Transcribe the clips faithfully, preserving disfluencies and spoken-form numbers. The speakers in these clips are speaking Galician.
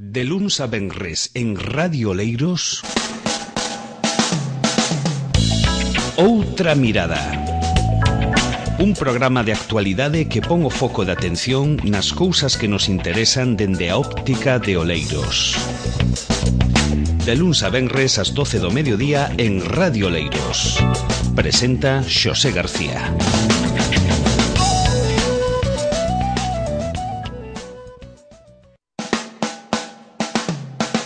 De luns a venres en Radio Oleiros, Outra Mirada. Un programa de actualidade que pon o foco de atención nas cousas que nos interesan dende a óptica de Oleiros. De luns a venres ás doce do mediodía en Radio Oleiros. Presenta Xosé García.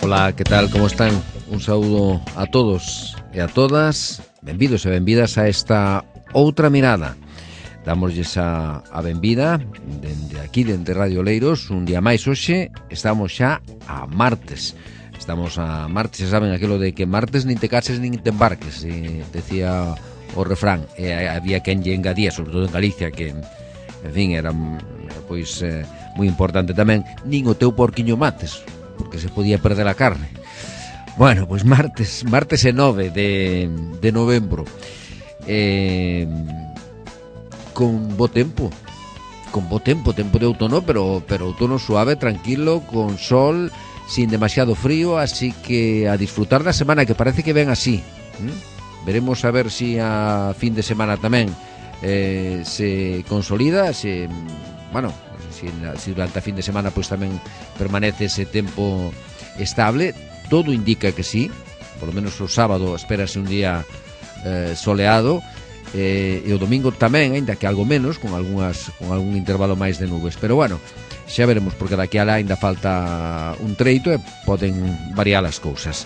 Ola, que tal, como están? Un saúdo a todos e a todas. Benvidos e benvidas a esta Outra Mirada. Damosles a, a benvida dende aquí, dende Radio Oleiros. Un día máis hoxe, estamos xa a martes. Estamos a martes, xa saben aquilo de que martes nin te cases nin te embarques, e decía o refrán. E había quen lle engadía, sobre todo en Galicia, que, en fin, era pois eh, moi importante tamén, nin o teu porquiño mates, porque se podía perder a carne. Bueno, pois martes, martes e nove de, de novembro, eh, con bo tempo, con bo tempo, tempo de outono, pero, pero outono suave, tranquilo, con sol, sin demasiado frío, así que a disfrutar da semana, que parece que ven así. ¿Mm? Veremos a ver si a fin de semana tamén eh, se consolida, se, bueno, Si, si durante a fin de semana pois tamén permanece ese tempo estable. Todo indica que sí. Por lo menos o sábado espérase un día eh, soleado, eh, e o domingo tamén, aínda que algo menos, con algunhas con algún intervalo máis de nubes. Pero bueno, xa veremos, porque daqui alá ainda falta un treito e poden variar as cousas.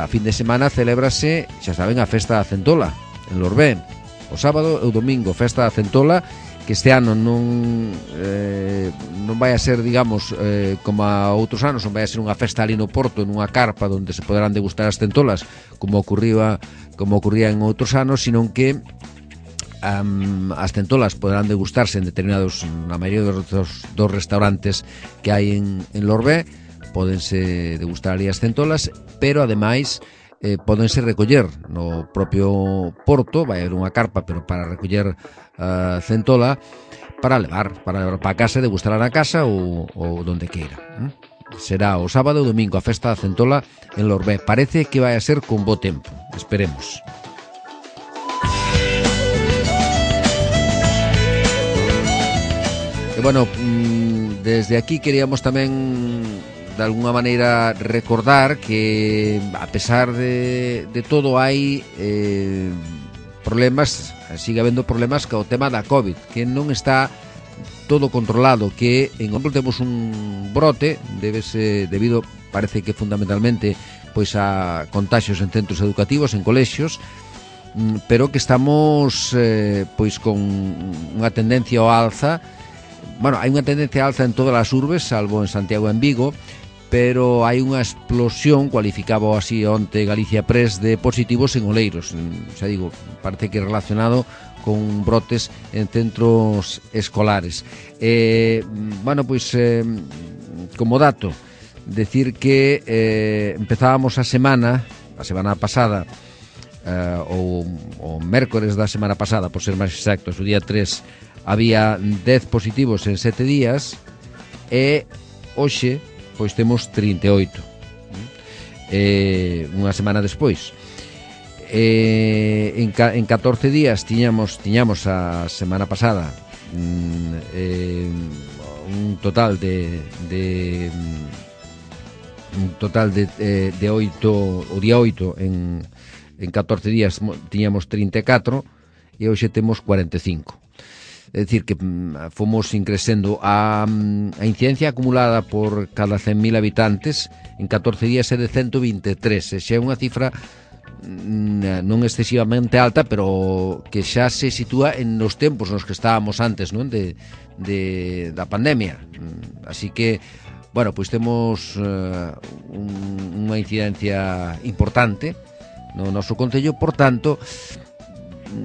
A fin de semana celébrase, xa saben, a festa da Centola en Lorbé. O sábado e o domingo, festa da Centola, que este ano non eh, non vai a ser, digamos, eh, como a outros anos, non vai a ser unha festa ali no Porto, nunha carpa onde se poderán degustar as centolas, como ocurría como ocurría en outros anos, sino que um, as centolas poderán degustarse en determinados, na maioría dos, dos, dos restaurantes que hai en, en Lorbé. Pódense degustar ali as centolas, pero ademais Eh, pódense recoller no propio Porto. Vai haber unha carpa, pero para recoller uh, centola para levar, para levar para casa e degustar na casa ou, ou donde queira. ¿eh? Será o sábado e o domingo a festa da Centola en Lorbé. Parece que vai a ser con bo tempo, esperemos. E bueno, desde aquí queríamos tamén de alguna maneira recordar que a pesar de, de todo hai eh, problemas, sigue habendo problemas co tema da COVID, que non está todo controlado, que en Ombro temos un brote, débese debido, parece que fundamentalmente pois a contaxios en centros educativos, en colexios, pero que estamos eh, pois con unha tendencia ao alza. Bueno, hai unha tendencia ao alza en todas as urbes, salvo en Santiago e en Vigo, pero hai unha explosión, cualificaba así onte Galicia Press, de positivos en Oleiros. Xa digo, parece que relacionado con brotes en centros escolares. Eh, bueno, pois, eh, como dato, decir que eh, empezábamos a semana, a semana pasada, eh, ou o mércores da semana pasada, por ser máis exactos, o día tres, había dez positivos en sete días, e hoxe pois temos trinta e oito, eh, unha semana despois. Eh, en, ca, en catorce días tiñamos tiñamos a semana pasada eh, un total de, de un total de, eh, de oito, o día oito, en, en catorce días tiñamos trinta e catro, e hoxe temos cuarenta e cinco. É dicir, que fomos increcendo a, a incidencia acumulada por cada cen mil habitantes en catorce días é de ciento vinte e tres, e xa é unha cifra non excesivamente alta, pero que xa se sitúa en os tempos nos que estábamos antes, non? De, de, da pandemia. Así que, bueno, pois temos uh, un, unha incidencia importante no noso concello. Por tanto,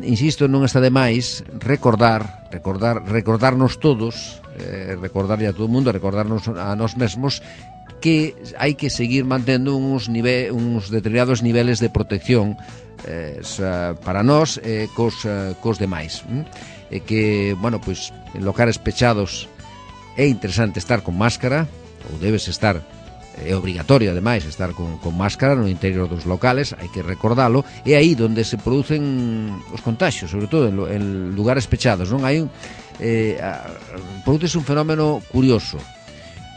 insisto, non está de máis recordar, recordar, recordarnos todos, eh, recordarlle a todo o mundo, recordarnos a nós mesmos que hai que seguir mantendo uns, nive, uns determinados niveles de protección eh, para nós eh, cos, eh, cos demais. E que, bueno, pois, en locales pechados é interesante estar con máscara, ou debes estar é obrigatorio ademais estar con, con máscara no interior dos locales, hai que recordalo, é aí onde se producen os contagios, sobre todo en, en lugares pechados, non hai un eh, produce un fenómeno curioso.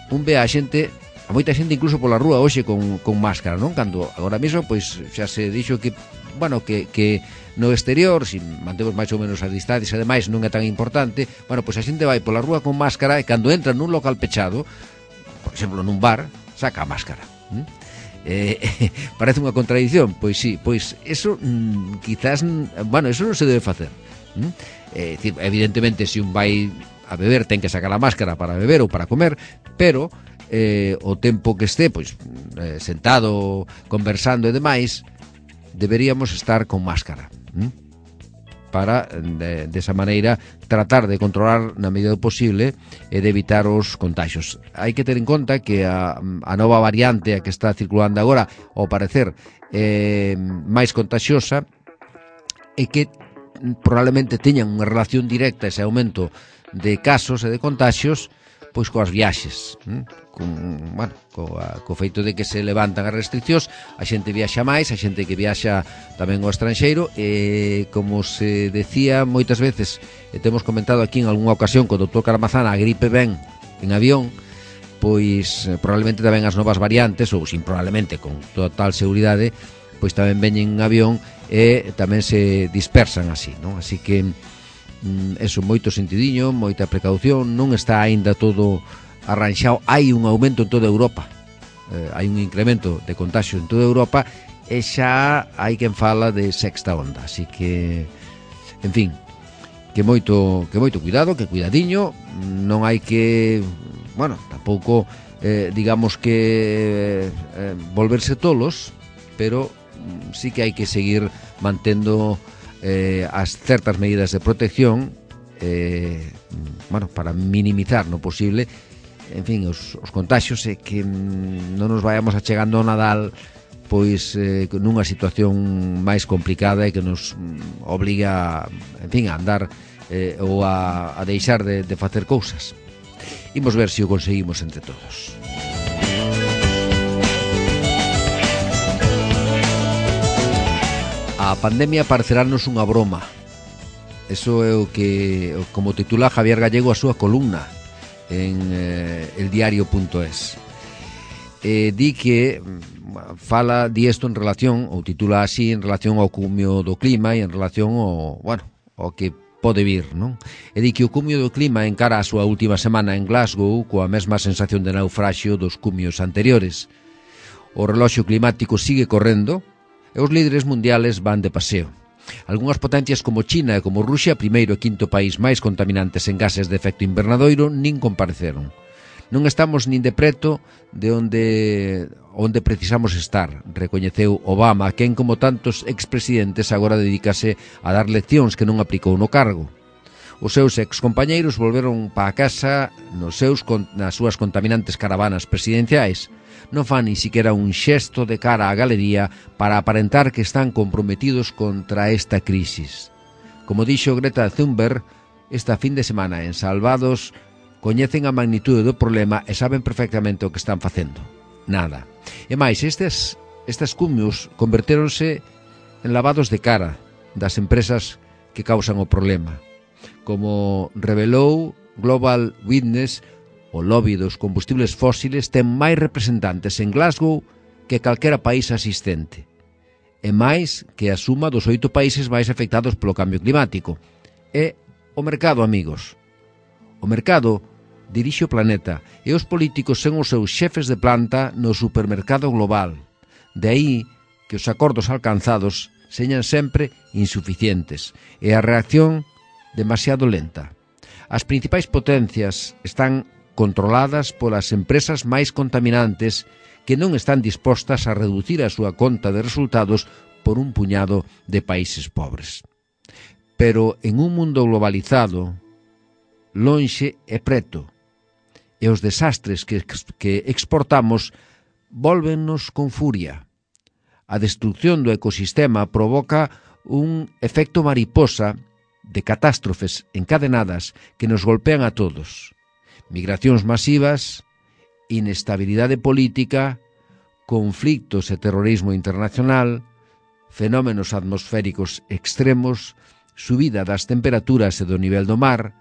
Un ve a xente, a moita xente incluso pola rúa hoxe con, con máscara, non? Cando agora mesmo pois xa se dixo que bueno, que, que no exterior, se si mantemos máis ou menos as distancias, ademais non é tan importante, bueno, pois a xente vai pola rúa con máscara e cando entra nun local pechado, por exemplo, nun bar, saca a máscara. ¿Mm? Eh, parece unha contradición, pois sí, pois eso mm, quizás, bueno, eso non se debe facer. ¿Mm? Eh, evidentemente, se un vai a beber ten que sacar a máscara para beber ou para comer, pero eh, o tempo que este, pois eh, sentado, conversando e demais, deberíamos estar con máscara. ¿Mm? Para, de, desa maneira, tratar de controlar na medida do posible e de evitar os contagios. Hai que ter en conta que a, a nova variante a que está circulando agora, ao parecer, é máis contagiosa e que probablemente teñan unha relación directa ese aumento de casos e de contagios pois coas viaxes, hm? con, bueno, coa, co feito de que se levantan as restriccións, a xente viaxa máis, a xente que viaxa tamén ao estranxeiro, e como se decía moitas veces, e temos comentado aquí en algunha ocasión co doutor Caramazana, a gripe ven en avión, pois probablemente tamén as novas variantes, ou sin probablemente, con total seguridade, pois tamén veñen en avión e tamén se dispersan así, non? Así que eso, moito sentidiño, moita precaución, non está aínda todo arranxado, hai un aumento en toda Europa, eh, hai un incremento de contagio en toda Europa e xa hai quen fala de sexta onda, así que, en fin, que moito, que moito cuidado, que cuidadiño, non hai que, bueno, tampouco eh, digamos que eh, volverse tolos, pero sí que hai que seguir mantendo Eh, as certas medidas de protección, eh, bueno, para minimizar no posible, en fin, os, os contagios, e que mm, non nos vayamos achegando ao Nadal pois eh, nunha situación máis complicada e que nos mm, obliga, en fin, a andar eh, ou a, a deixar de, de facer cousas. Imos ver se o conseguimos entre todos. A pandemia parecerarnos unha broma. Eso é o que, como titula Javier Gallego a súa columna en eh, eldiario punto es. Eh, di que fala di isto en relación, ou titula así, en relación ao cumio do clima e en relación ao, bueno, ao que pode vir, non? E di que o cumio do clima encara a súa última semana en Glasgow coa mesma sensación de naufraxio dos cumios anteriores. O reloxo climático sigue correndo e os líderes mundiales van de paseo. Algúnas potencias como China e como Rusia, primeiro e quinto país máis contaminantes en gases de efecto invernadoiro, nin compareceron. Non estamos nin de preto de onde, onde precisamos estar, recoñeceu Obama, quen como tantos expresidentes agora dedícase a dar leccións que non aplicou no cargo. Os seus excompañeiros volveron pa a casa nos seus, nas súas contaminantes caravanas presidenciais. Non fan ni siquiera un xesto de cara á galería para aparentar que están comprometidos contra esta crisis. Como dixo Greta Thunberg, esta fin de semana en Salvados, coñecen a magnitude do problema e saben perfectamente o que están facendo. Nada. E máis, estes, estes cumios convertéronse en lavados de cara das empresas que causan o problema. Como revelou Global Witness, o lobby dos combustibles fósiles ten máis representantes en Glasgow que calquera país asistente, e máis que a suma dos oito países máis afectados polo cambio climático. E o mercado, amigos. O mercado dirixe o planeta e os políticos son os seus xefes de planta no supermercado global. De aí que os acordos alcanzados señan sempre insuficientes e a reacción demasiado lenta. As principais potencias están controladas polas empresas máis contaminantes que non están dispostas a reducir a súa conta de resultados por un puñado de países pobres. Pero en un mundo globalizado, lonxe e preto, e os desastres que, que exportamos vólvennos con furia. A destrucción do ecosistema provoca un efecto mariposa de catástrofes encadenadas que nos golpean a todos. Migracións masivas inestabilidade política, conflictos e terrorismo internacional, fenómenos atmosféricos extremos, subida das temperaturas e do nivel do mar,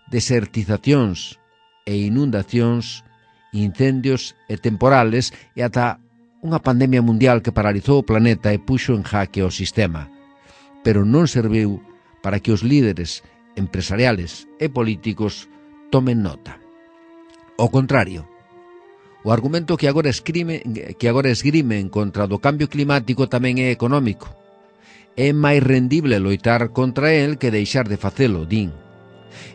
desertizacións e inundacións, incendios e temporales e ata unha pandemia mundial que paralizou o planeta e puxo en jaque o sistema. Pero non serviu para que os líderes empresariales e políticos tomen nota. Ao contrario, o argumento que agora esgrime, que agora esgrimen contra do cambio climático tamén é económico. É máis rendible loitar contra el que deixar de facelo, din.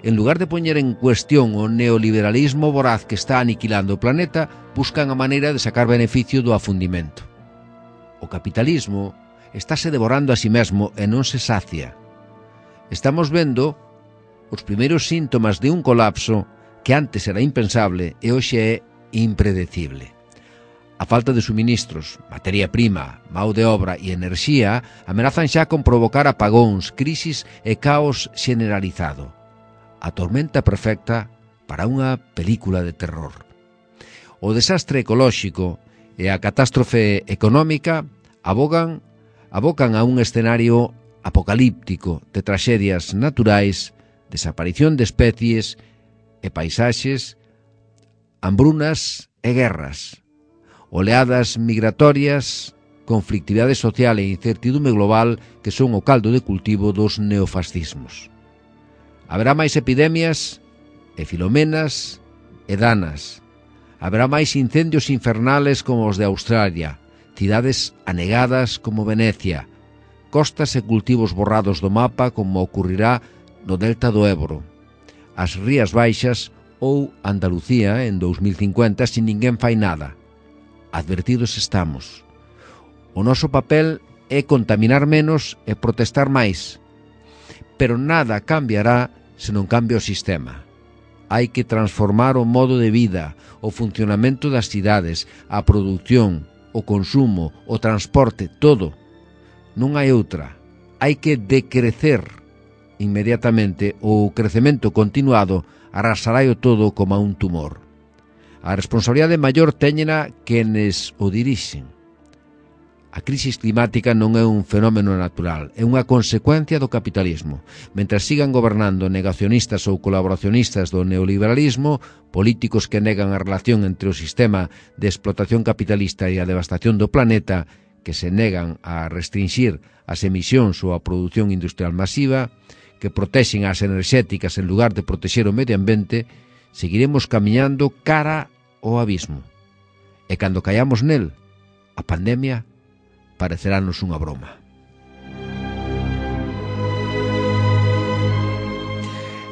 En lugar de poñer en cuestión o neoliberalismo voraz que está aniquilando o planeta, buscan a maneira de sacar beneficio do afundimento. O capitalismo estáse devorando a si mesmo e non se sacia. Estamos vendo os primeiros síntomas de un colapso que antes era impensable e hoxe é impredecible. A falta de suministros, materia prima, mão de obra e enerxía amenazan xa con provocar apagóns, crisis e caos generalizado. A tormenta perfecta para unha película de terror. O desastre ecolóxico e a catástrofe económica abogan, abocan a un escenario apocalíptico de traxedias naturais, desaparición de especies e paisaxes, hambrunas e guerras, oleadas migratorias, conflictividade social e incertidume global que son o caldo de cultivo dos neofascismos. Haberá máis epidemias e filomenas e danas. Haberá máis incendios infernales como os de Australia, cidades anegadas como Venecia, costas e cultivos borrados do mapa como ocurrirá no delta do Ebro, as Rías Baixas ou Andalucía en dous mil cincuenta se ninguén fai nada. Advertidos estamos. O noso papel é contaminar menos e protestar máis. Pero nada cambiará se non cambia o sistema. Hai que transformar o modo de vida, o funcionamento das cidades, a produción, o consumo, o transporte, todo. Non hai outra. Hai que decrecer inmediatamente o crecemento continuado arrasará o todo como a un tumor. A responsabilidade maior téñena quenes o dirixen. A crisis climática non é un fenómeno natural, é unha consecuencia do capitalismo. Mentras sigan gobernando negacionistas ou colaboracionistas do neoliberalismo, políticos que negan a relación entre o sistema de explotación capitalista e a devastación do planeta, que se negan a restringir as emisións ou a produción industrial masiva, que protexen as enerxéticas en lugar de protexer o medio ambiente, seguiremos camiñando cara ao abismo. E cando caiamos nel, a pandemia parecerános unha broma.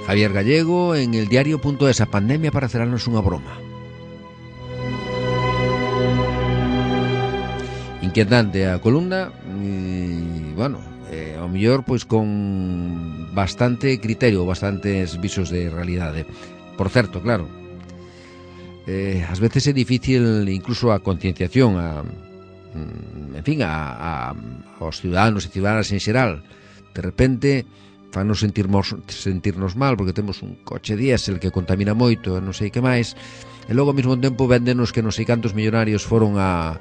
Javier Gallego en el diario punto es, a pandemia parecerános unha broma. Inquietante a columna e, bueno, eh, ao mellor pois con bastante criterio, bastantes visos de realidade. Por certo, claro, eh, ás veces é difícil incluso a concienciación, a en fin, a, a, aos ciudadanos e ciudadanas en xeral. De repente fanos sentirnos, sentirnos mal porque temos un coche diésel que contamina moito e non sei que máis, e logo ao mesmo tempo véndenos que non sei cantos millonarios foron a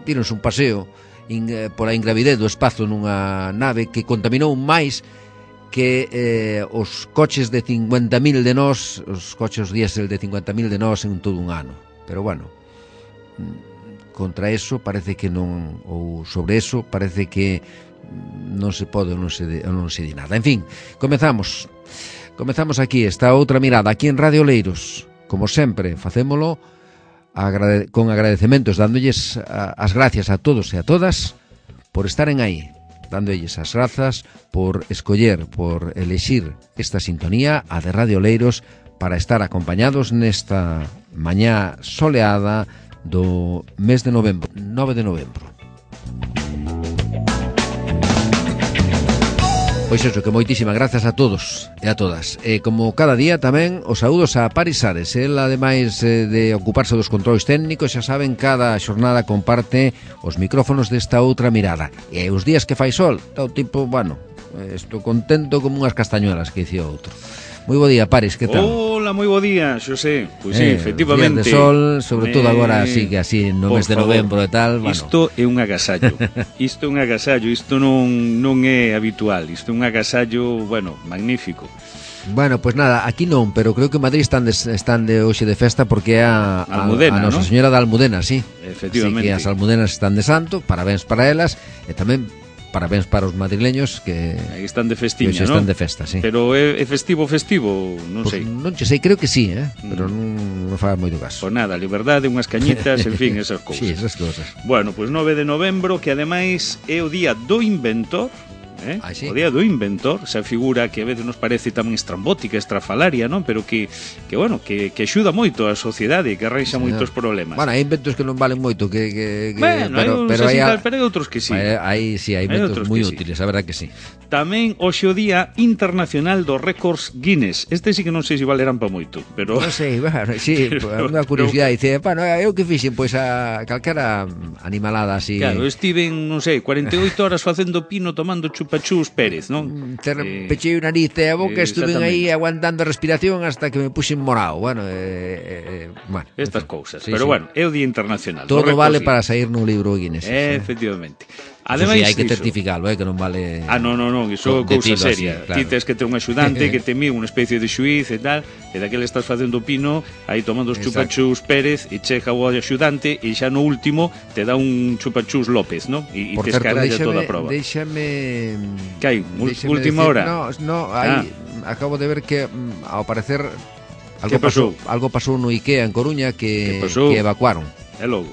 tiros un paseo in, eh, por a ingravidez do espazo nunha nave que contaminou máis que eh, os coches de cincuenta mil de nós, os coches diésel de cincuenta mil de nós en todo un ano. Pero bueno, contra eso parece que non, ou sobre eso parece que non se pode ou non se, non se di nada. En fin, comezamos comezamos aquí esta outra mirada aquí en Radio Oleiros. Como sempre, facémolo agrade, con agradecementos, dándolles a, as gracias a todos e a todas por estaren aí, dándolles as grazas por escoller, por elexir esta sintonía, a de Radio Oleiros, para estar acompañados nesta mañá soleada do mes de novembro, nove de novembro. Pois eso, que moitísimas grazas a todos e a todas. E como cada día tamén os saúdos a Paris Ares. El, ademais de ocuparse dos controis técnicos, xa saben, cada xornada comparte os micrófonos desta outra mirada. E os días que fai sol, todo tipo, bueno, estou contento como unhas castañuelas, que dicía outro. Moi bo día, Paris, que tal? Hola, moi bo día, Xosé. Pois sí, eh, efectivamente. Días de sol, sobre todo eh, agora así que así no mes de novembro e tal, bueno. Isto é un agasallo. Isto é un agasallo, isto non non é habitual. Isto é un agasallo, bueno, magnífico. Bueno, pues nada, aquí non, pero creo que en Madrid están de, están de hoxe de festa porque é a, a, Almudena, a Nosa ¿no? Señora da Almudena, sí. Efectivamente. Así que as almudenas están de santo, parabéns para elas, e tamén parabéns para os madrileños que aí están de que festiña, hoxe ¿no? están de festa, sí. Pero é, é festivo festivo, non Pues sei. non che sei, creo que sí, eh? Pero non, non faz moito caso. Pois nada, liberdade, unhas cañitas, en fin, esas cousas. Sí, esas cousas. Bueno, pois nove de novembro, que ademais é o día do inventor, eh? Ah, sí. O día do inventor, esa figura que a veces nos parece tamén estrambótica, estrafalaria, non? Pero que, que bueno, que, que axuda moito a sociedade, que arranxa Sí, moitos no. problemas. Bueno, hai inventos que non valen moito, que, que, que Bueno, pero, hai uns pero así hai, tal, pero hai outros que sí. Hai, hai, sí, hai Hai inventos outros moi que sí. útiles, a verdad que sí. Tamén hoxe o día internacional dos récords Guinness. Este sí que non sei se valerán pa moito, pero Non sei, bueno, sí, Pero- unha curiosidade, dice, bueno, eu que fixen, pois a calquera animalada así. claro, estiven, non sei, cuarenta e oito horas facendo pino tomando chupachús Pérez, non? Ter, Eh, pechei o nariz e a boca, eh, estuve aí exactamente. aguantando a respiración hasta que me puxen morado. Bueno, eh, eh, bueno, Estas en fin, cousas. sí, Pero sí. bueno, é o día internacional. Todo dos vale récords para sair nun libro Guinness. Eh, sí. efectivamente. Eso Ademais sí, hai que diso- certificalo, eh, que non vale. Ah, non, non, non, iso é de cousa tiro así, seria. claro. Ti tes que ter un axudante que te mí unha especie de xuiz e tal, e daquele estás facendo pino, aí tomando os Exacto. chupachús Pérez, e chega o axudante, e xa no último te dá un chupachús López, non? E, e Por te certo, escaralla déixame, toda a prova. déixame... Que hai? Ul- déixame última decir- hora? No, no, aí acabo de ver que mm, ao parecer algo Que pasou? pasou, algo pasou no IKEA en Coruña que, Que pasou? que evacuaron. É logo.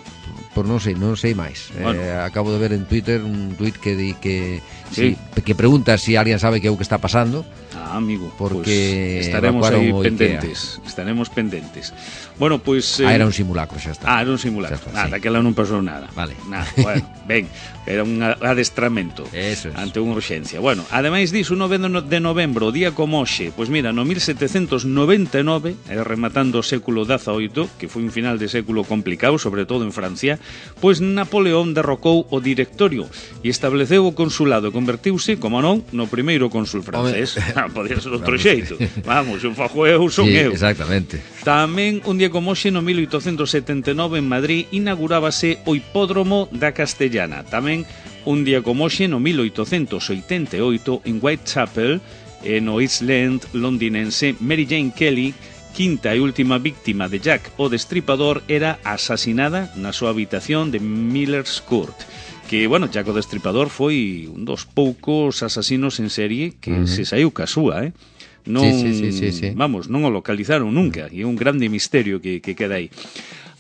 Por non sei, non sei máis. Bueno. Eh, acabo de ver en Twitter un tuit que di que Sí. si, que pregunta si alguén sabe que é o que está pasando. Ah, amigo, Porque pues estaremos evacuaron aí o pendentes. Estaremos pendentes. Bueno, pues Ah, era un simulacro, xa está. Ah, era un simulacro. Xa está, Ah, sí. daquela non pasou nada. Vale. Nada, bueno, ben, era un adestramento. Eso es. Ante unha urxencia. Bueno, ademais diso, nove de novembro, o día como hoxe, pois mira, no mil setecentos noventa e nove, eh, rematando o século dezaoito, que foi un final de século complicado, sobre todo en Francia, pois Napoleón derrocou o directorio e estableceu o consulado e convertiuse, como non, no primeiro cónsul francés. Ah, podía ser outro Vamos. xeito. Vamos, un fajo eu, son Sí, eu. exactamente. Tamén un día como hoxe no mil oitocentos setenta e nove en Madrid inaugurábase o hipódromo da Castellana. Tamén un día como hoxe no mil oitocentos oitenta e oito en Whitechapel, eh, no East End londinense, Mary Jane Kelly, quinta e última víctima de Jack o Destripador, era asasinada na súa habitación de Miller's Court. Que, bueno, Jack o Destripador foi un dos poucos asasinos en serie que Ujú. se saiu ca súa, eh? Non, Sí, sí, sí, sí, sí. vamos, non o localizaron nunca, e é un grande misterio que, que queda aí.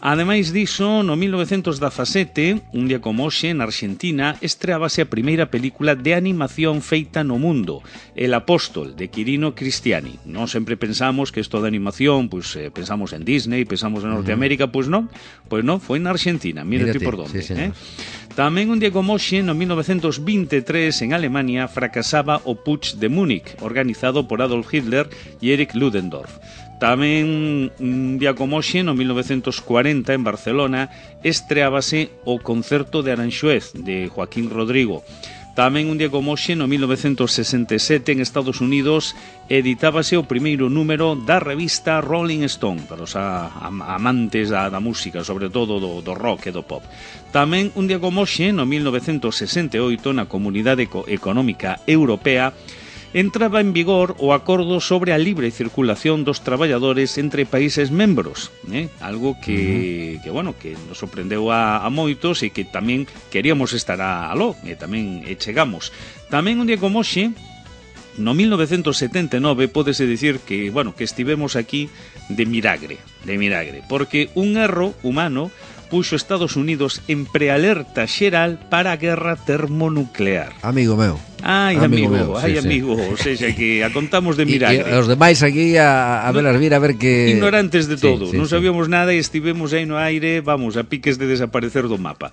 Ademais diso, no mil novecentos dezasete, un día como hoxe, na Argentina, estreábase a primeira película de animación feita no mundo, El Apóstol, de Quirino Cristiani. Non sempre pensamos que isto de animación, pois pues, eh, pensamos en Disney, pensamos en Norteamérica, pois pues non, pois pues non, foi na Argentina, mírate Mírate, por donde. sí, señor. eh? Tamén un día como hoxe, no mil novecentos veintitrés, en Alemania, fracasaba o Putsch de Múnich, organizado por Adolf Hitler e Erich Ludendorff. Tamén un día como hoxe, no mil novecentos cuarenta, en Barcelona, estreábase o Concerto de Aranxuez, de Joaquín Rodrigo. Tamén un día como hoxe, no mil novecentos sesenta e sete, en Estados Unidos, editábase o primeiro número da revista Rolling Stone, para os a, a, amantes da, da música, sobre todo do, do rock e do pop. Tamén un día como hoxe, no mil novecentos sesenta e oito, na Comunidade Económica Europea, entraba en vigor o acordo sobre a libre circulación dos traballadores entre países membros, eh? Algo que, uh-huh. que, bueno, que nos sorprendeu a, a moitos e que tamén queríamos estar a, aló, e tamén e chegamos. Tamén un día como hoxe, no mil novecentos setenta e nove, pódese dicir que, bueno, que estivemos aquí de milagre, de milagre, porque un erro humano puxo Estados Unidos en prealerta xeral para a guerra termonuclear. Amigo meu. Ai, Amigo amigo, meu, ai, sí, sí. amigo, o sea, que a contamos de E, milagre. e os demais aquí a, a velas vir a ver que... Ignorantes de todo, sí, sí, non sí. sabíamos nada e estivemos aí no aire, vamos, a piques de desaparecer do mapa.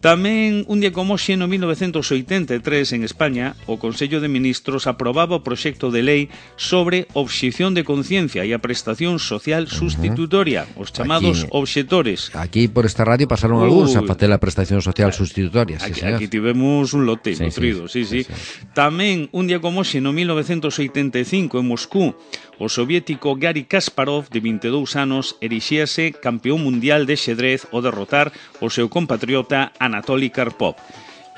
Tamén, un día como hoxe, no mil novecentos oitenta e tres, en España, o Consello de Ministros aprobaba o proxecto de lei sobre obxección de conciencia e a prestación social sustitutoria, os chamados Aquí- obxectores. Aquí por esta radio pasaron Uy. algúns a facer a prestación social sustitutoria, sí, Aquí, señor. aquí tivemos un lote Sí, nutrido, sí, sí. sí, sí. Tamén, un día como hoxe, no mil novecentos oitenta e cinco, en Moscú, o soviético Gary Kasparov, de vinte e dous anos, erixíase campeón mundial de xedrez ao derrotar o seu compatriota Anatoly Karpov.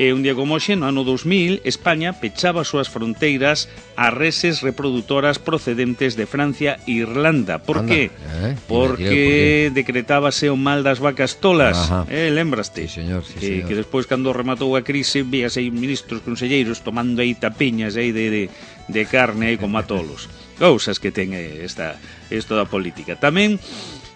E un día como hoxe, no ano dos mil, España pechaba as súas fronteiras a reses reproductoras procedentes de Francia e Irlanda. Por Anda, qué? Eh? Porque decretábase o mal das vacas tolas. Ajá. Eh, lembraste? Sí, señor, sí, que, señor. que despois, cando rematou a crise, víase aí ministros, conselleiros tomando aí tapiñas aí de, de, de carne aí como a tolos. Cousas que ten esta, esta da política. Tamén,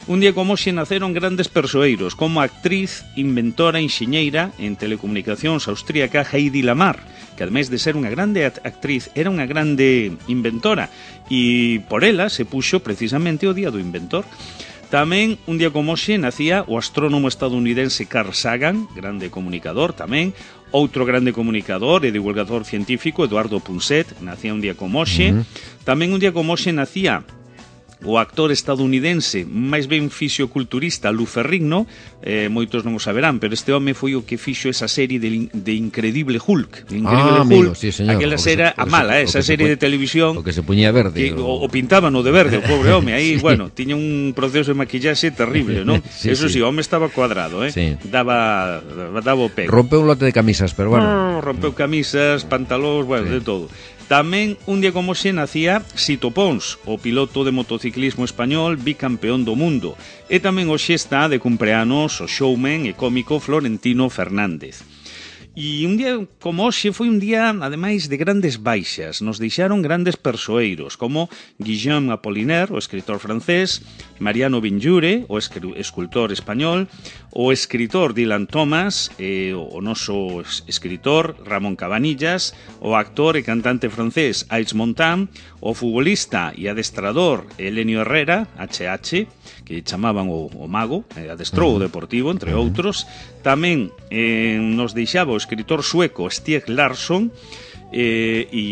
un día como hoxe naceron grandes persoeiros, como a actriz, inventora, enxeñeira en telecomunicacións austríaca Heidi Lamar, que ademais de ser unha grande actriz, era unha grande inventora, e por ela se puxo precisamente o Día do Inventor. Tamén, un día como hoxe, nacía o astrónomo estadounidense Carl Sagan, grande comunicador tamén. Outro grande comunicador e divulgador científico, Eduardo Punset, nacía un día como hoxe. Uh-huh. Tamén un día como hoxe nacía o actor estadounidense, máis ben fisioculturista, Lou Ferrigno, eh, moitos non o saberán, pero este home foi o que fixo esa serie de, de Incredible Hulk. De Incredible ah, Hulk, amigo, sí, señor. aquela era a mala, esa serie de televisión. O que se puñía verde. Que, o, o pintaban o de verde, o pobre home, aí, sí. Bueno, tiña un proceso de maquillaxe terrible, non? Sí, eso sí, sí, o home estaba cuadrado, eh? Sí. Daba, daba o pego. Rompeu un lote de camisas, pero bueno. No, rompeu camisas, pantalóns, bueno, sí. De todo. Tamén, un día como hoxe, nacía Sito Pons, o piloto de motociclismo español bicampeón do mundo. E tamén hoxe está de cumpleanos o showman e cómico Florentino Fernández. E un día como hoxe foi un día, ademais, de grandes baixas. Nos deixaron grandes persoeiros, como Guillaume Apollinaire, o escritor francés, Mariano Benlliure, o escultor español, o escritor Dylan Thomas, eh, o noso escritor Ramón Cabanillas, o actor e cantante francés Aix Montan, o futbolista e adestrador Elenio Herrera, H H, que chamaban o, o mago, eh, adestrou o Deportivo, entre outros. Tamén eh, nos deixaba o escritor sueco Stieg Larsson eh, e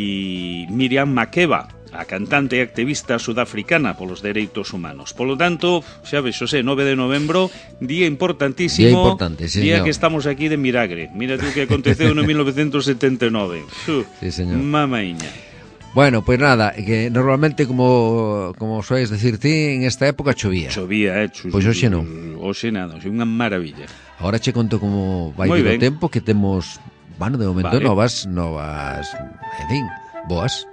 Miriam Makeba, a cantante e activista sudafricana polos dereitos humanos. Polo tanto, xa ves, Xosé, nove de novembro, día importantísimo, día importante, sí, día señor. que estamos aquí de milagre. Mira tú que aconteceu no mil novecentos setenta e nove. Uh, sí, señor. Mamaiña. Bueno, pues nada, que normalmente, como como sois decir ti, en esta época chovía. Chovía, eh. Pois pues hoxe non. Hoxe nada, hoxe unha maravilla. Ahora che conto como vai ir o tempo, que temos, bueno, de momento vale. novas, novas, en fin, boas.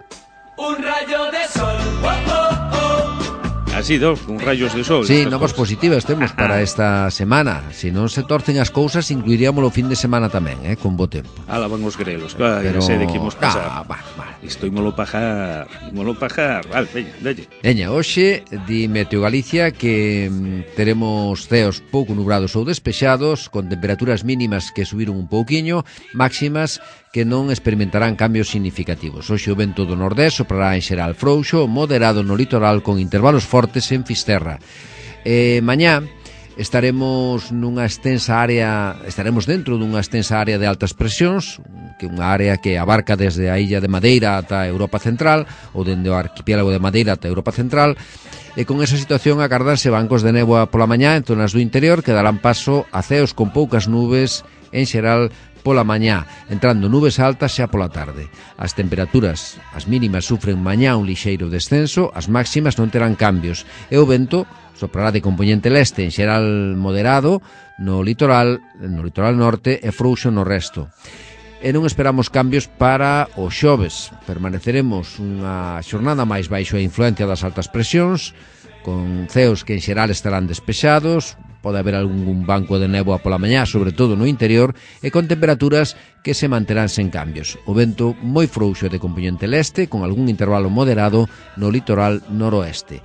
Un rayo de sol, oh, oh, oh. Así, dos, con rayos de sol. Sí, novas positivas temos para esta semana. Se non se torcen as cousas, incluiríamos o fin de semana tamén, eh, con bo tempo. Ala, van os grelos, claro, pero... sei de que imos pasar. Ah, va, va. Isto ímolo pajar, ímolo pajar. Vale, veña, dalle. Veña, hoxe, di Meteo Galicia que mm, teremos ceos pouco nubrados ou despexados, con temperaturas mínimas que subiron un pouquiño, máximas que non experimentarán cambios significativos. Hoxe o vento do nordés soprará en xeral frouxo, moderado no litoral con intervalos fortes en Fisterra. Eh, mañá estaremos nunha extensa área, estaremos dentro dunha extensa área de altas presións, que é unha área que abarca desde a illa de Madeira ata a Europa Central, ou dende o arquipiélago de Madeira ata a Europa Central, e con esa situación agardarse bancos de néboa pola mañá en zonas do interior que darán paso a ceos con poucas nubes en xeral pola mañá, entrando nubes altas xa pola tarde. As temperaturas, as mínimas sufren mañá un lixeiro descenso, as máximas non terán cambios, e o vento soprará de compoñente leste, en xeral moderado, no litoral, no litoral norte e frouxo no resto. E non esperamos cambios para o xoves. Permaneceremos unha xornada máis baixo a influencia das altas presións, con ceos que en xeral estarán despexados, pode haber algún banco de néboa pola mañá, sobre todo no interior, e con temperaturas que se manterán sen cambios. O vento moi frouxo de compoñente leste, con algún intervalo moderado no litoral noroeste.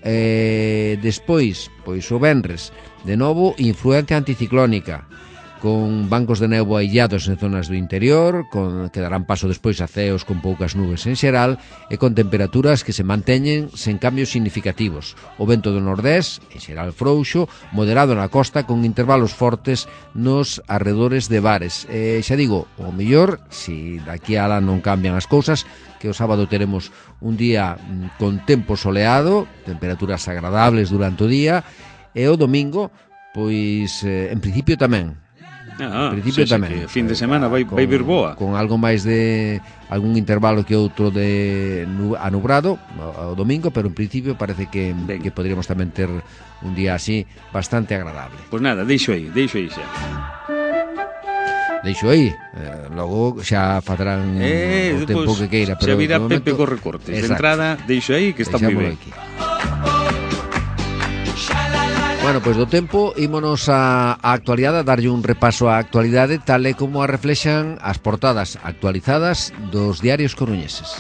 E despois, pois o venres, de novo, influencia anticiclónica, con bancos de néboa illados en zonas do interior, con, que darán paso despois a ceos con poucas nubes en xeral, e con temperaturas que se manteñen sen cambios significativos. O vento do nordés, en xeral frouxo, moderado na costa, con intervalos fortes nos arredores de bares. E xa digo, o mellor, se daqui a lá non cambian as cousas, que o sábado teremos un día con tempo soleado, temperaturas agradables durante o día, e o domingo, pois, eh, en principio tamén, Ah, en principio sí, sí, tamén. que fin de semana vai, con, vai vir boa. Con algo máis de algún intervalo que outro de nu, anubrado o, o domingo, pero en principio parece que, que podríamos tamén ter un día así bastante agradable. Pois pues nada, deixo aí, deixo aí xa. Deixo aí, eh, logo xa fatarán eh, o tempo pues, que queira, pero xa virá de momento, Pepe co recortes. Exacto. De entrada, deixo aí que está moi ben. Aquí. Bueno, pois do tempo ímonos a, a actualidade, a darlle un repaso á actualidade tal e como a reflexan as portadas actualizadas dos diarios coruñeses.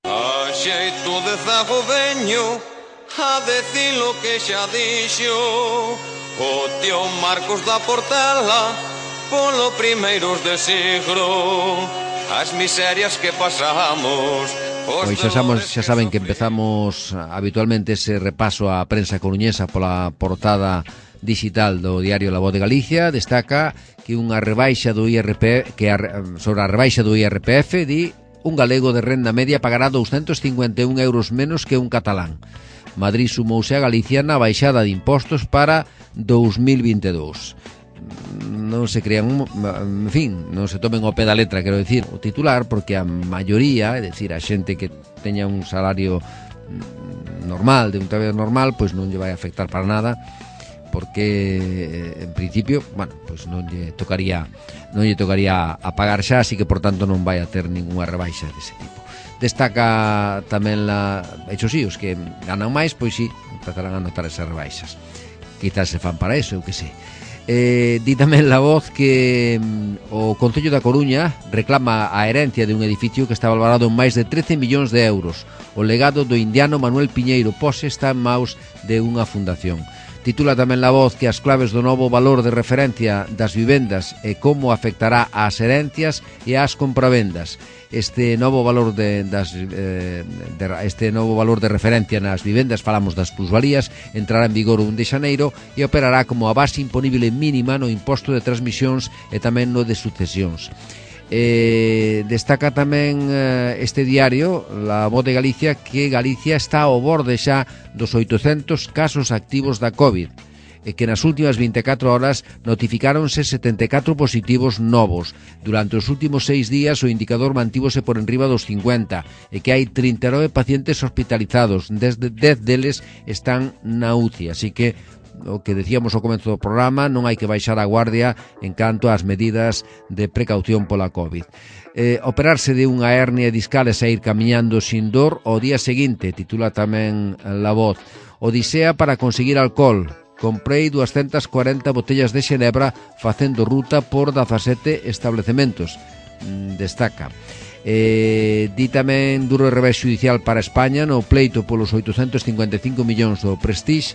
A xeito de zago veño a decir lo que xa dixo o tío Marcos da Portela polo primeiros de siglo as miserias que pasamos. Pois xa, sabemos, xa saben que empezamos habitualmente ese repaso á prensa coruñesa pola portada digital do diario La Voz de Galicia. Destaca que unha rebaixa do I R P que a, sobre a rebaixa do I R P F di un galego de renda media pagará doscientos cincuenta e un euros menos que un catalán. Madrid sumouse a Galicia na baixada de impostos para dous mil vinte e dous. Non se crean, en fin, non se tomen ao pé da letra, quero dicir, o titular, porque a maioría, é dicir, a xente que teña un salario normal, de un traballo normal, pois non lle vai afectar para nada, porque en principio, bueno, pois non lle tocaría non lle tocaría a pagar xa, así que por tanto non vai a ter ningunha rebaixa dese tipo. Destaca tamén la, hecho sí, os que ganan máis, pois sí, empezarán a notar esas rebaixas. Quizás se fan para eso, eu que sei. Eh, di tamén La Voz que mm, o Concello da Coruña reclama a herencia de un edificio que está valorado en máis de trece millóns de euros. O legado do indiano Manuel Piñeiro Pose está en maus de unha fundación. Titula tamén La Voz que as claves do novo valor de referencia das vivendas e como afectará ás herencias e ás compravendas. Este novo valor de, das, eh, de este novo valor de referencia nas vivendas, falamos das plusvalías, entrará en vigor o un de xaneiro e operará como a base imponible mínima no imposto de transmisións e tamén no de sucesións. Eh, destaca tamén eh, este diario, La Voz de Galicia, que Galicia está ao borde xa dos oitocentos casos activos da COVID, e que nas últimas vinte e catro horas notificáronse setenta e catro positivos novos. Durante os últimos seis días o indicador mantívose por enriba dos cincuenta e que hai trinta e nove pacientes hospitalizados, desde dez deles están na U C I, así que o que decíamos ao comezo do programa, non hai que baixar a guardia en canto ás medidas de precaución pola COVID. Eh, operarse de unha hernia discal e sair camiñando sin dor ao día seguinte, titula tamén La Voz. Odisea para conseguir alcohol. Comprei doscientas cuarenta botellas de xenebra facendo ruta por dezasete establecementos, destaca. Eh, di tamén duro revés judicial para España no pleito polos oitocentos cincuenta e cinco millóns do Prestige,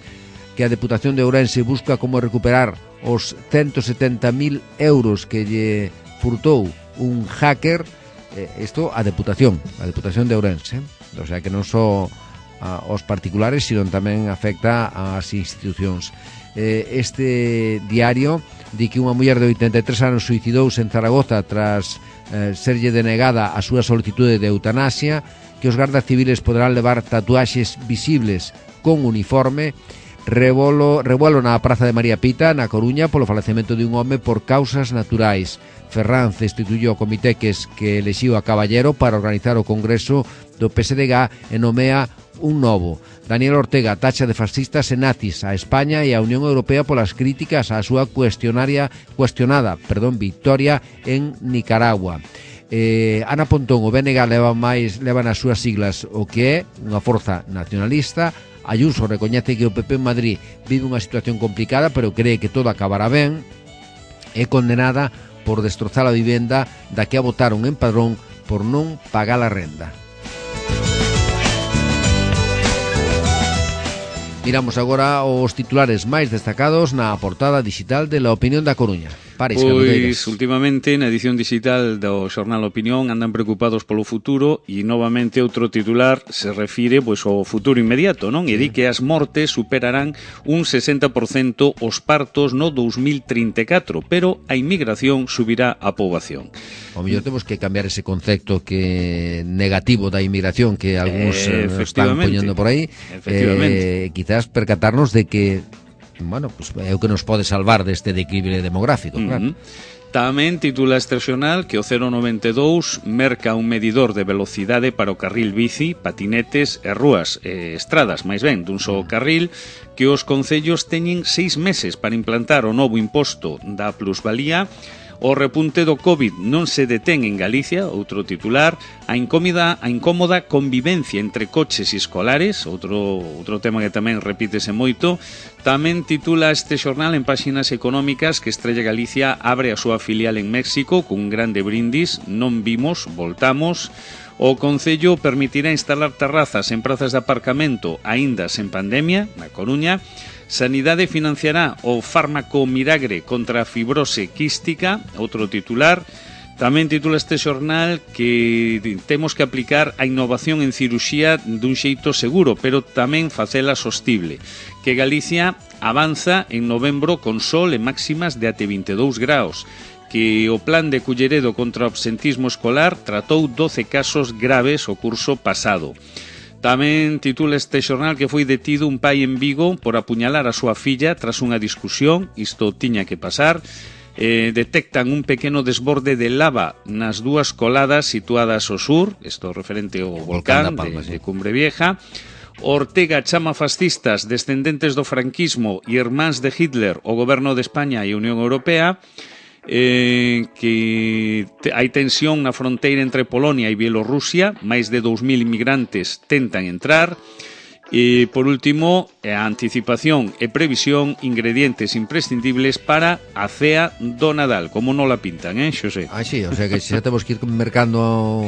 que a Deputación de Ourense busca como recuperar os ciento setenta mil euros que lle furtou un hacker. Eh, isto a Deputación, a Deputación de Ourense, o sea que non só a, aos particulares, sino tamén afecta ás institucións. Eh, este diario di que unha muller de oitenta e tres anos suicidouse en Zaragoza tras eh, serlle denegada a súa solicitude de eutanasia, que os gardas civiles poderán levar tatuaxes visibles con uniforme. Rebolo, revuelo na Praza de María Pita, na Coruña, polo falecemento de un home por causas naturais. Ferranz instituyó o comité que, es, que elixiu a Caballero para organizar o Congreso do P S D G e nomea un novo. Daniel Ortega tacha de fascistas e nazis a España e a Unión Europea polas críticas á súa cuestionaria, cuestionada perdón, victoria en Nicaragua. Eh, Ana Pontón, o B N G leva máis leva nas súas siglas o que é unha forza nacionalista. Ayuso recoñece que o P P en Madrid vive unha situación complicada, pero cree que todo acabará ben. É condenada por destrozar a vivenda da que a votaron en Padrón por non pagar a renda. Miramos agora os titulares máis destacados na portada digital de La Opinión da Coruña. Paris, pois, últimamente, na edición digital do xornal Opinión andan preocupados polo futuro e, novamente, outro titular se refire pois, ao futuro inmediato, non? E di que as mortes superarán un sesenta por cento os partos no dous mil trinta e catro, pero a inmigración subirá a poboación. O mellor temos que cambiar ese concepto que negativo da inmigración que algúns eh, están poñendo por aí. Efectivamente. Eh, quizás quizás percatarnos de que, bueno, pues é o que nos pode salvar deste declive demográfico, claro. Uh-huh. Tamén titula este xornal que o cero noventa e dous merca un medidor de velocidade para o carril bici, patinetes e rúas e estradas, máis ben, dun só carril, que os concellos teñen seis meses para implantar o novo imposto da plusvalía. O repunte do COVID non se detén en Galicia, outro titular. A incómoda, a incómoda convivencia entre coches e escolares, outro, outro tema que tamén repítese moito. Tamén titula este xornal en páxinas económicas que Estrella Galicia abre a súa filial en México cun grande brindis. Non vimos, voltamos. O Concello permitirá instalar terrazas en prazas de aparcamento aínda sen pandemia, na Coruña. Sanidade financiará o fármaco Miragre contra a fibrose quística, outro titular. Tamén titula este xornal que temos que aplicar a innovación en ciruxía dun xeito seguro, pero tamén facela sostible. Que Galicia avanza en novembro con sol e máximas de até vinte e dous graus. Que o plan de Culleredo contra o absentismo escolar tratou doce casos graves o curso pasado. Tamén titula este xornal que foi detido un pai en Vigo por apuñalar a súa filla tras unha discusión. Isto tiña que pasar. Eh, detectan un pequeno desborde de lava nas dúas coladas situadas ao sur, isto referente ao volcán, volcán Palma, de, sí. de Cumbre Vieja. Ortega chama fascistas descendentes do franquismo e irmáns de Hitler o goberno de España e a Unión Europea. Eh, que te, hai tensión na fronteira entre Polonia e Bielorrusia, máis de dous mil inmigrantes tentan entrar. E, por último, a anticipación e previsión, ingredientes imprescindibles para a cea do Nadal. Como non la pintan, eh, Xosé? Ah, sí, o sea que xa temos que ir mercando...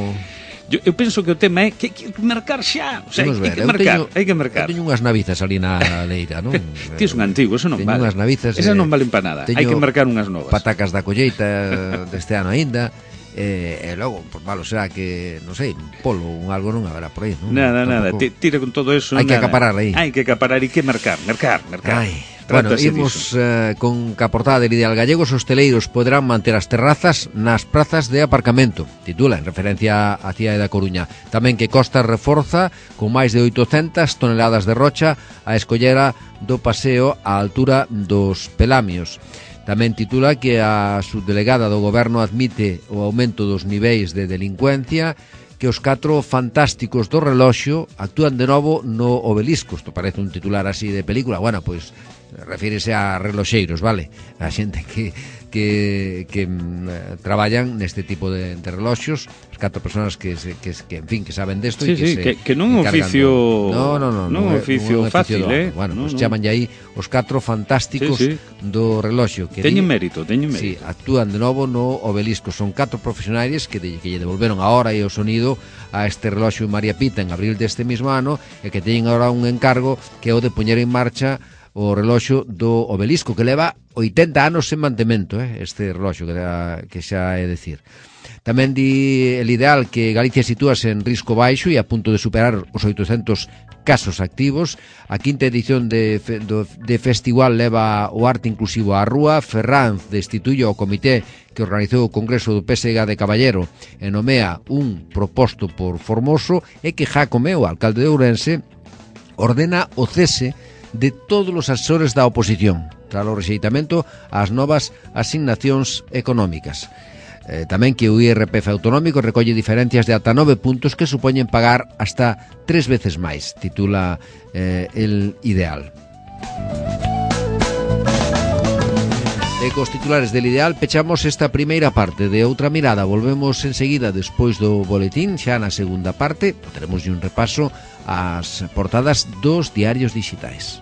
Yo, eu penso que o tema é que hai que mercar xa, o sea, hai, hai que mercar, hai que mercar. Eu teño unhas navizas ali na leira, non? Ti es un antigo, eso non teño vale. Unhas navizas, esas eh, non valen para nada. Hai que mercar unhas novas. Patacas da colleita deste ano aínda. E, e logo, por malo será que, non sei, un polo, un algo non haberá por aí, non? Nada, nada, tira con todo eso. Hai que nada. acaparar aí. Hai que acaparar e que mercar, mercar, mercar. Ai. Bueno, imos eh, con ca portada del Ideal Gallego. Os hosteleiros poderán manter as terrazas nas prazas de aparcamento. Titula en referencia á cidade da Coruña. Tamén que Costa reforza con máis de oitocentas toneladas de rocha a escollera do paseo á altura dos Pelamios. Tamén titula que a subdelegada do goberno admite o aumento dos niveis de delincuencia, que os catro fantásticos do reloxo actúan de novo no obelisco. Isto parece un titular así de película. Bueno, pois refírese a reloxeiros, vale? A xente que que que mm, traballan neste tipo de, de reloxos, as catro persoas que, se, que que en fin, que saben desto sí, e que sí, se que, que non é un oficio no, no, no, non é un oficio fácil, eh. Bueno, no, pues no. chaman aí os catro fantásticos sí, sí. do reloxo que teñen di, mérito, teñen mérito. Sí, actúan de novo no obelisco. Son catro profesionais que, de, que lle devolveron a hora e o sonido a este reloxo María Pita en abril deste mesmo ano e que teñen agora un encargo que é o de poñer en marcha o reloxo do obelisco, que leva oitenta anos sen mantemento, eh, este reloxo que, da, que xa é decir. Tamén di el Ideal que Galicia sitúase en risco baixo e a punto de superar os oitocentos casos activos. A quinta edición de, do, de festival leva o arte inclusivo á rúa. Ferranz destituye o comité que organizou o Congreso do P S G de Caballero e nomea un proposto por Formoso, e que Jácome, o alcalde de Ourense, ordena o cese de todos os asesores da oposición tras o rexeitamento ás novas asignacións económicas. Eh, tamén que o I R P F autonómico recolle diferencias de ata nove puntos que supoñen pagar hasta tres veces máis, titula eh, el Ideal. E cos titulares del Ideal pechamos esta primeira parte de Outra Mirada. Volvemos enseguida despois do boletín, xa na segunda parte, teremos un repaso ás portadas dos diarios digitais.